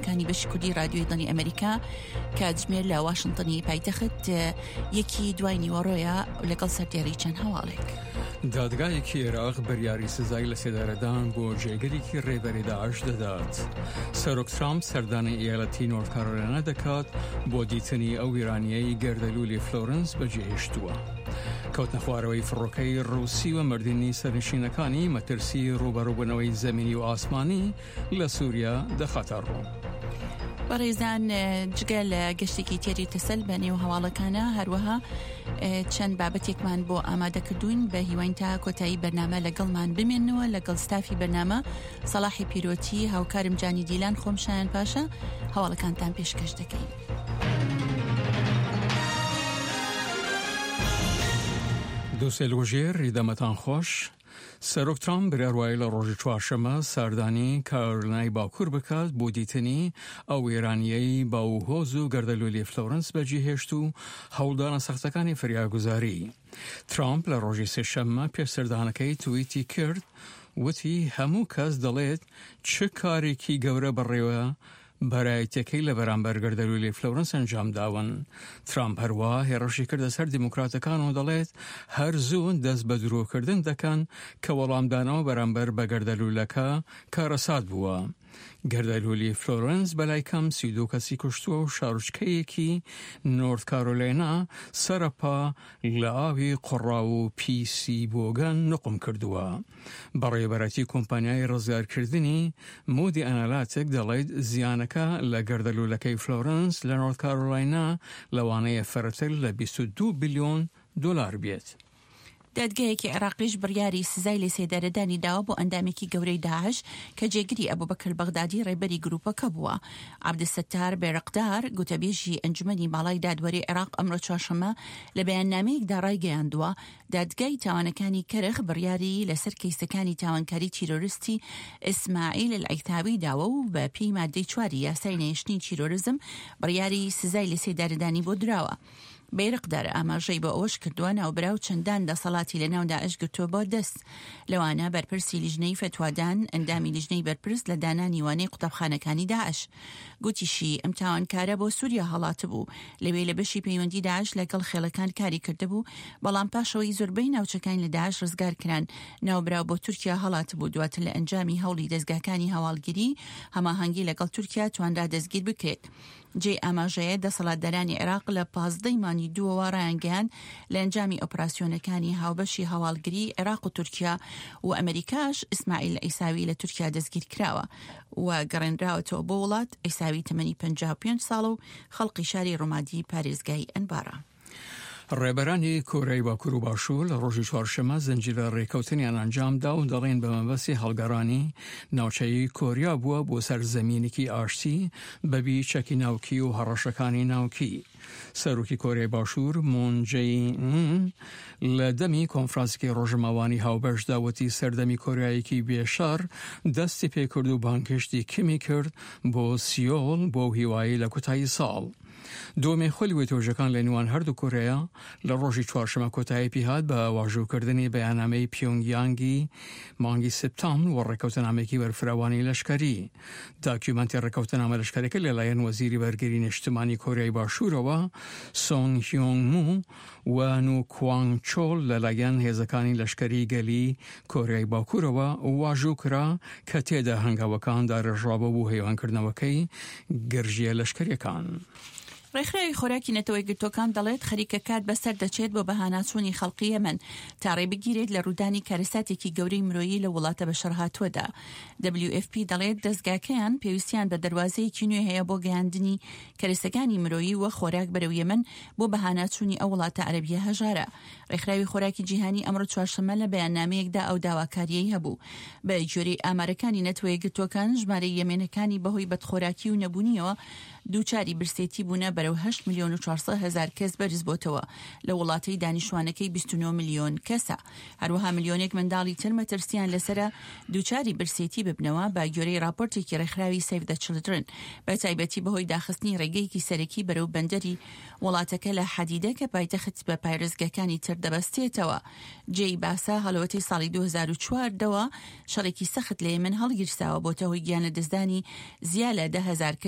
بەرنمەکانی بەشی کوردی رادیۆی دەنگی ئەمریکا کاتژمێر لە واشنتنی پایتەخت یەکی دوای نیوەڕۆیە لەگەڵ سەردێڕی چەند هەواڵێک. دادگایەکی عێراق بڕیاری سزای لەسێدارەدان بۆ جێگرێکی ڕێبەری داعش دەدات. سەرۆک ترامپ سەردانی ئیالەتی نۆرت کارۆلاینا دەکات بۆ دیتنی ئەو وێرانییەی گەردەلوولی فلۆرنس بەجێهێشتووە. کەوتنە خوارەوەی فڕۆکەی ڕووسی و مردنی سەرنشینەکانی مەترسی ڕووبەڕووبوونەوەی زەمینی و ئاسمانی لە سووریا دەخاتە ڕوو. بەڕێزان جگە لە گەشتێکی تێری تەسەل بە نێو هەواڵەکانە هەروەها چەند بابەتێکمان بۆ ئامادەکردوون بە هیواین تا کۆتایی بەرنامە لەگەڵمان بمێنەوە لەگەڵ ستافی بەرنامە سەڵاحی پیرۆتی هاوکارم جانی دیلان خۆم شایان پاشا هەواڵەکانتان پێشکەش دەکەین. دوسێ لوژێر دەمەتان خۆش سەرۆک ترامپ بریار وایە لە ڕۆژی چوارشەممە سەردانی کارۆلینای باکوور بکات بۆ دیتنی ئەو وێرانییەی باوهۆز و گەردەلوولی فلۆرنس بەجێهێشت و هەوڵدانە سەختەکانی فریاگوزاری. ترامپ لە ڕۆژی سێشەممە پێش سەردانەکەی تویتی کرد وتی هەموو کەس دەڵێت چ کارێکی گەورە بەڕێوە بەرایەتیەکەی لە بەرامبەر گەردەلوولی فلۆرنس ئەنجام داون. ترامپ هەروەها هێڕشی کردە سەر دیموکراتەکان و دەڵێت هەر زوو دەست بە درۆکردن دەکەن کە وەڵامدانەوە بەرامبەر بە گەردەلوولەکە کارەسات بووە. گەردەلوولی فلۆرنس بەلای کەم 32 کەسی کوشتووە و شارۆچکەیەکی نۆرت کارۆلاینا سەرپا لە ئاوی قوڕاو و پیسی بۆگەن نوقم کردووە. بەڕێوەبەرایەتی کۆمپانیای ڕزگارکردنی مودی ئەنالاتک دەڵێت زیانەکە لە گەردەلوولەکەی فلۆرنس لە نۆرت کارۆلاینا لەوانەیە فەرەتر لە 22 بلیۆن دۆلار بێت. دادگایەکی عێراقیش بڕیاری سزای لەسێدارەدانی داوە بۆ ئەندامێکی گەورەی داعش کە جێگری ئەبوبەکر بەغدادی ڕێبەری گروپەکە بووە. عەبدولستار بێرقدار، گوتەبێژی ئەنجومەنی باڵای دادوەری عێراق ئەمڕۆ چوارشەممە لە بەیاننامەیەکدا ڕایگەیاندووە، دادگای تاوانەکانی کەرخ بڕیاری لەسەر کەیسەکانی تاوانکاری تیرۆرستی ئیسماعیل ئەلعیتاوی داوە و بە پێی مادەی چواری یاسای نەهێشتنی تیرۆرزم بڕیاری سزای لەسێدارەدانی بۆ دراوە. بەیرقدار ئاماژەی بۆ ئەوەش کردووە، ناوبراو چەندان دەسەڵاتی لەناو داعش گرتووە بۆ دەست، لەوانە بەرپرسی لیژنەی فەتوادان، ئەندامی لیژنەی بەرپرس لە دانانی وانەی قوتابخانەکانی داعش. گوتیشی، ئەم تاوانکارە بۆ سووریا هەڵاتبوو، لەوێ لە بەشی پەیوەندی داعش لەگەڵ خێڵەکان کاری کردبوو، بەڵام پاش ئەوەی زۆربەی ناوچەکانی لە داعش ڕزگار کران، ناوبراو بۆ تورکیا هەڵاتبوو، دواتر لە ئەنجامی هەوڵی دەزگاکانی هەواڵگری هەماهەنگی لەگەڵ تورکیا توانرا دەستگیر بکرێت. جێی ئاماژەیە دەسەڵاتدارانی عێراق لە 15 ی مانگی دووەوە ڕایانگەیاند لە ئەنجامی ئۆپراسیۆنەکانی هاوبەشی هەواڵگری عێراق و تورکیا و ئەمریکاش ئیسماعیل عیساوی لە تورکیا دەستگیرکراوە و گەڕێنراوەتەوە بۆ وڵات. عیساوی تەمەنی 55 ساڵە و خەڵقی شاری ڕومادی پارێزگای ئەنبارە. ڕێبەرانی کۆریای باکوور و باشوور لە ڕۆژی چوارشەممە زنجیرە ڕێککەوتنیان ئەنجامدا و دەڵێن بە مەبەستی هەڵگەڕانی ناوچەی کۆریا بووە بۆ سەر زەمینێکی ئاشتی بەبی چەکی ناوکی و هەڕەشەکانی ناوکی. سەرۆکی کۆریای باشوور مون جەی ئین لە دەمی کۆنفرانسێکی ڕۆژنامەوانی هاوبەشدا وتی سەردەمی کۆریایەکی بێ شەڕ دەستی پێکرد و بانگهێشتی کیمی کرد بۆ سیۆل بۆ هیوایی لە کوتایی ساڵ دووەمین خولی وتوێژەکان لە نێوان هەردوو کۆریا لە ڕۆژی چوارشەمە کۆتایی پیهات بە واژووکردنی بەیاننامەی پیۆنگیانگی مانگی سپتامبر و ڕێککەوتنامەیەکی بەرفراوانی لەشکەری. داکیومەنتی ڕێککەوتنامە لەشکەرەکە لەلایەن وەزیری بەرگری نیشتمانی کۆریای باشوورەوە سۆنگ هیۆنگ مو و نو کوانگ چۆل لەلایەن هێزەکانی لەشکەری گەلی کۆریای باکوورەوە واژوو کرا کە تێدا هەنگاوەکان دارێژرابوو بۆ هێوانکردنەوەکەی گرژییە لەشکەرییەکان. ڕێکخراوی خۆراکی نەتەوەیەکگرتووەکان دەڵێت، خەریکە کات بەسەر دەچێت بۆ بەهاناچوونی خەڵکی یەمەن تا ڕێ بگیرێت لە ڕوودانی کارەساتێکی گەورەی مرۆیی لەو وڵاتە بەشەڕهاتووەدا. WFP دەڵێت، دەزگاکەیان پێویستیان بە دەروازەیەکی نوێ هەیە بۆ گەیاندنی کەرەسەکانی مرۆیی و خۆراک بەرەو یەمەن بۆ بەهاناچوونی ئەو وڵاتە عەرەبییە هەژارە. ڕێکخراوی خۆراکی جیهانی ئەمڕۆ چوارشەممە لە بەیاننامەیەکدا ئەو داواکارییەی هەبوو. بە گوێرەی ئامارەکانی نەتەوەیەکگرتووەکان، ژمارەی یەمێنەکانی بەهۆی بەدخۆراکی و نەبوونییەوە دووچاری برسێتی بوونە بەرەو هەشت ملیۆن و 400 هەزار کەس بەرزبۆتەوە لە وڵاتەی دانیشتوانەکەی 29 ملیۆن کەسە. هەروەها ملیۆنێک منداڵی تر مەترسییان لەسەرە دووچاری برسێتی ببنەوە بە گوێرەی ڕاپۆرتێکی ڕێکخراوی سەیڤ دە چڵدرن بە تایبەتی بەهۆی داخستنی ڕێگەیەکی سەرەکی بەرەو بەندەری وڵاتەکە لە حەدیدە کە پایتەخت بە پارێزگەکانی تر دەبەستێتەوە. جێی باسە هەڵەوەتەی ساڵی 2014 ەوە شەڕێکی سەخت لە یەمەن هەڵگیرساوە بۆتە هۆی گیانلەدەستدانی زیا لە 10,000 کەس.